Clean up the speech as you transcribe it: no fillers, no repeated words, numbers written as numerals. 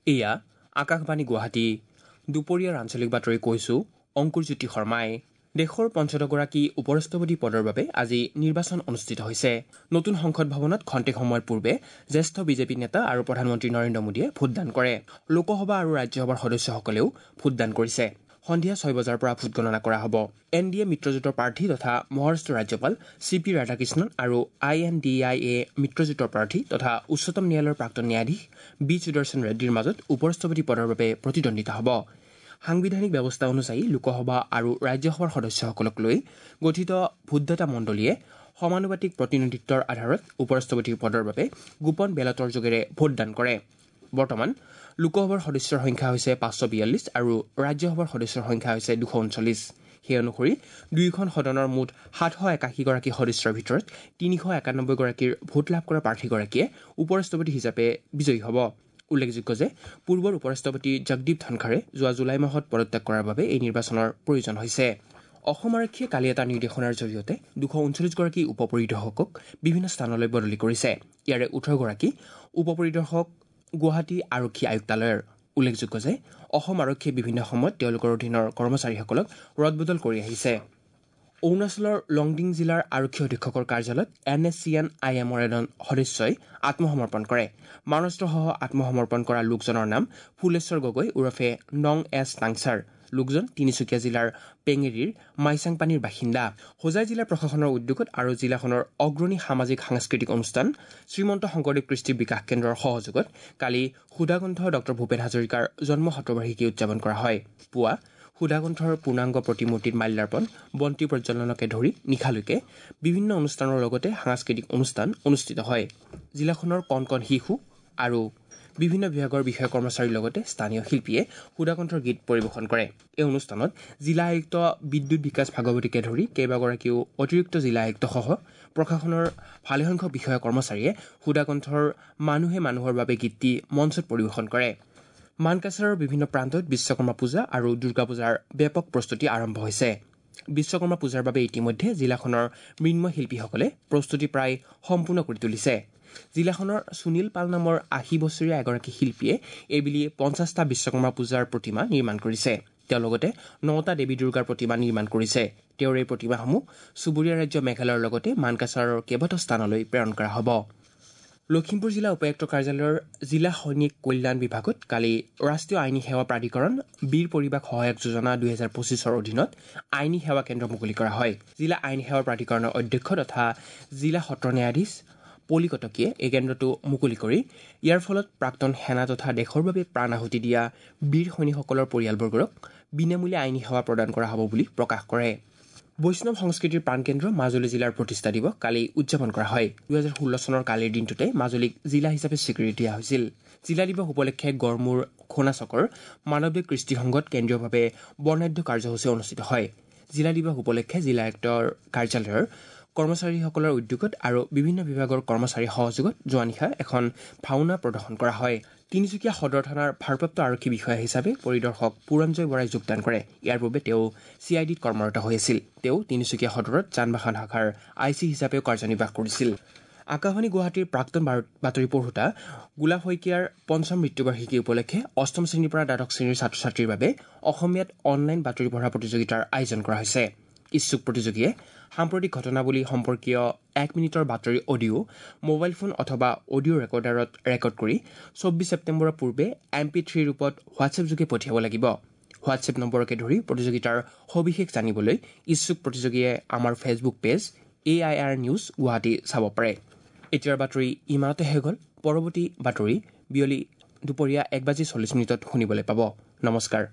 এয়া আকাশবাণী গুৱাহাটী। দুপৰীয়াৰ আঞ্চলিক বাতৰি কৈছো অংকুৰজ্যোতি শৰ্মাই। দেশৰ ৫গৰাকী উপৰাষ্ট্ৰপতি পদৰ বাবে আজি নিৰ্বাচন অনুষ্ঠিত হৈছে। নতুন সংসদ ভৱনত খন্তেক সময়ৰ পূৰ্বে জ্যেষ্ঠ বিজেপি নেতা আৰু প্ৰধানমন্ত্ৰী নৰেন্দ্ৰ মোদীয়ে ভোটদান কৰে। লোকসভা আৰু ৰাজ্যসভাৰ সদস্যসকলেও ভোটদান কৰিছে। সন্ধিয়া ৬ বজাৰ পৰা ভোটগণনা কৰা হ'ব। এন ডি এ মিত্ৰজোঁটৰ প্ৰাৰ্থী তথা মহাৰাষ্ট্ৰৰ ৰাজ্যপাল চি পি ৰাধাকৃষ্ণন আৰু আই এন ডি I A মিত্ৰজোঁটৰ প্ৰাৰ্থী তথা উচ্চতম ন্যায়ালয়ৰ প্ৰাক্তন ন্যায়াধীশ বি সুদৰ্শন ৰেড্ডীৰ মাজত উপৰাষ্ট্ৰপতি পদৰ বাবে প্ৰতিদ্বন্দ্বিতা হ'ব। সাংবিধানিক ব্যৱস্থা অনুযায়ী লোকসভা আৰু ৰাজ্যসভাৰ সদস্যসকলক লৈ গঠিত ভোটদাতা মণ্ডলীয়ে সমানুপাতিক প্ৰতিনিধিত্বৰ আধাৰত উপৰাষ্ট্ৰপতিৰ পদৰ বাবে গোপন বেলটৰ যোগেৰে ভোটদান কৰে। বৰ্তমান লোকসভাৰ সদস্যৰ সংখ্যা হৈছে ৫৪২ আৰু ৰাজ্যসভাৰ সদস্যৰ সংখ্যা হৈছে ২৩৯। সেই অনুসৰি দুয়োখন সদনৰ মুঠ ৭৮১গৰাকী সদস্যৰ ভিতৰত ৩৯১গৰাকীৰ ভোট লাভ কৰা প্ৰাৰ্থীগৰাকীয়ে উপৰাষ্ট্ৰপতি হিচাপে বিজয়ী হ'ব। উল্লেখযোগ্য যে পূৰ্বৰ উপৰাষ্ট্ৰপতি জগদীপ ধনখড়ে যোৱা জুলাই মাহত পদত্যাগ কৰাৰ বাবে এই নিৰ্বাচনৰ প্ৰয়োজন হৈছে। অসম আৰক্ষীয়ে কালি এটা নিৰ্দেশনাৰ জৰিয়তে ২৩৯গৰাকী উপ পৰিদৰ্শকক বিভিন্ন স্থানলৈ বদলি কৰিছে। ইয়াৰে ১৮গৰাকী উপ পৰিদৰ্শক গুৱাহাটী আৰক্ষী আয়ুক্তালয়ৰ। উল্লেখযোগ্য যে অসম আৰক্ষীয়ে বিভিন্ন সময়ত তেওঁলোকৰ অধীনৰ কৰ্মচাৰীসকলক ৰদবদল কৰি আহিছে। অৰুণাচলৰ লংডিং জিলাৰ আৰক্ষী অধীক্ষকৰ কাৰ্যালয়ত N S C N I এমৰ এজন সদস্যই আত্মসমৰ্পণ কৰে। মাৰণাস্ত্ৰসহ আত্মসমৰ্পণ কৰা লোকজনৰ নাম ফুলেশ্বৰ গগৈ ওৰফে নং এছ টাংচাৰ। লোকজন তিনিচুকীয়া জিলাৰ পেঙেৰীৰ মাইচাংপানীৰ বাসিন্দা। হোজাই জিলা প্ৰশাসনৰ উদ্যোগত আৰু জিলাখনৰ অগ্ৰণী সামাজিক সাংস্কৃতিক অনুষ্ঠান শ্ৰীমন্ত শংকৰদেৱ কৃষ্টি বিকাশ কেন্দ্ৰৰ সহযোগত কালি সুধাকণ্ঠ ডঃ ভূপেন হাজৰিকাৰ জন্ম শতবাৰ্ষিকী উদযাপন কৰা হয়। পুৱা সুধাকণ্ঠৰ পূৰ্ণাংগ প্ৰতিমূৰ্তিত মাল্যাৰ্পণ, বন্তি প্ৰজ্বলনকে ধৰি নিশালৈকে বিভিন্ন অনুষ্ঠানৰ লগতে সাংস্কৃতিক অনুষ্ঠান অনুষ্ঠিত হয়। জিলাখনৰ কণ কণ শিশু আৰু বিভিন্ন বিভাগৰ বিষয়া কৰ্মচাৰীৰ লগতে স্থানীয় শিল্পীয়ে সুধাকণ্ঠৰ গীত পৰিৱেশন কৰে। এই অনুষ্ঠানত জিলা আয়ুক্ত বিদ্যুৎ বিকাশ ভাগৱতীকে ধৰি কেইবাগৰাকীও অতিৰিক্ত জিলা আয়ুক্তসহ প্ৰশাসনৰ ভালেসংখ্যক বিষয়া কৰ্মচাৰীয়ে সুধাকণ্ঠৰ মানুহে মানুহৰ বাবে গীতটি মঞ্চত পৰিৱেশন কৰে। মানকাছাৰৰ বিভিন্ন প্ৰান্তত বিশ্বকৰ্মা পূজা আৰু দুৰ্গা পূজাৰ ব্যাপক প্ৰস্তুতি আৰম্ভ হৈছে। বিশ্বকৰ্মা পূজাৰ বাবে ইতিমধ্যে জিলাখনৰ মৃন্ময় শিল্পীসকলে প্ৰস্তুতি প্ৰায় সম্পূৰ্ণ কৰি তুলিছে। জিলাখনৰ সুনীল পাল নামৰ ৮০ বছৰীয়া এগৰাকী শিল্পীয়ে এইবেলি ৫০টা বিশ্বকৰ্মা পূজাৰ প্ৰতিমা নিৰ্মাণ কৰিছে। তেওঁ লগতে ৯টা দেৱী দুৰ্গাৰ প্ৰতিমা নিৰ্মাণ কৰিছে। তেওঁৰ এই প্ৰতিমাসমূহ চুবুৰীয়া ৰাজ্য মেঘালয়ৰ লগতে মানকাছাৰৰ কেইবাটাও স্থানলৈ প্ৰেৰণ কৰা হ'ব। লখিমপুৰ জিলা উপায়ুক্ত কাৰ্যালয়ৰ জিলা সৈনিক কল্যাণ বিভাগত কালি ৰাষ্ট্ৰীয় আইনী সেৱা প্ৰাধিকৰণ বীৰ পৰিবাস সহায়ক যোজনা ২০২৫ৰ অধীনত আইনী সেৱা কেন্দ্ৰ মুকলি কৰা হয়। জিলা আইনী সেৱা প্ৰাধিকৰণৰ অধ্যক্ষ তথা জিলা সত্ৰ ন্যায়াধীশ পলি কটকীয়ে এই কেন্দ্ৰটো মুকলি কৰি ইয়াৰ ফলত প্ৰাক্তন সেনা তথা দেশৰ বাবে প্ৰাণ আহুতি দিয়া বীৰ সৈনিকসকলৰ পৰিয়ালবৰ্গক বিনামূলীয়া আইনী সেৱা প্ৰদান কৰা হ'ব বুলি প্ৰকাশ কৰে। বৈষ্ণৱ সংস্কৃতিৰ প্ৰাণকেন্দ্ৰ মাজুলী জিলাৰ প্ৰতিষ্ঠা দিৱস কালি উদযাপন কৰা হয়। ২০১৬ চনৰ কালিৰ দিনটোতে মাজুলীক জিলা হিচাপে স্বীকৃতি দিয়া হৈছিল। জিলা দিৱস উপলক্ষে গড়মূৰ খোনাচকৰ মানৱদেৱ কৃষ্টি সংঘত কেন্দ্ৰীয়ভাৱে বৰ্ণাঢ্য কাৰ্যসূচী অনুষ্ঠিত হয়। জিলা দিৱস উপলক্ষে জিলা আয়ুক্তৰ কাৰ্যালয়ৰ কৰ্মচাৰীসকলৰ উদ্যোগত আৰু বিভিন্ন বিভাগৰ কৰ্মচাৰীৰ সহযোগত যোৱা নিশা এখন ভাওনা প্ৰদৰ্শন কৰা হয়। তিনিচুকীয়া সদৰ থানাৰ ভাৰপ্ৰাপ্ত আৰক্ষী বিষয়া হিচাপে পৰিদৰ্শক পুৰঞ্জয় বৰাই যোগদান কৰে। ইয়াৰ পূৰ্বে তেওঁ চি I ডিত কৰ্মৰত হৈ আছিল। তেওঁ তিনিচুকীয়া সদৰত যান বাহন শাখাৰ I C হিচাপেও কাৰ্যনিৰ্বাহ কৰিছিল। আকাশবাণী গুৱাহাটীৰ প্ৰাক্তন বাতৰি পঢ়োতা গোলাপ শইকীয়াৰ পঞ্চম মৃত্যুবাৰ্ষিকী উপলক্ষে অষ্টম শ্ৰেণীৰ পৰা দ্বাদশ শ্ৰেণীৰ ছাত্ৰ ছাত্ৰীৰ বাবে অসমীয়াত অনলাইন বাতৰি পঢ়া প্ৰতিযোগিতাৰ আয়োজন কৰা হৈছে। ইচ্ছুক প্ৰতিযোগীয়ে সাম্প্ৰতিক ঘটনাৱলী সম্পৰ্কীয় ১ মিনিটৰ বাতৰি অডিঅ' মোবাইল ফোন অথবা অডিঅ' ৰেকৰ্ডাৰত ৰেকৰ্ড কৰি ২৪ ছেপ্টেম্বৰৰ পূৰ্বে MP3 ৰূপত হোৱাটছএপ যোগে পঠিয়াব লাগিব। হোৱাটছএপ নম্বৰকে ধৰি প্ৰতিযোগিতাৰ সবিশেষ জানিবলৈ ইচ্ছুক প্ৰতিযোগীয়ে আমাৰ Facebook page AIR news Guwahati চাব পাৰে। এতিয়াৰ বাতৰি ইমানতে শেষ হ'ল। পৰৱৰ্তী বাতৰি বিয়লি দুপৰীয়া ১:৪০ শুনিবলৈ পাব। নমস্কাৰ।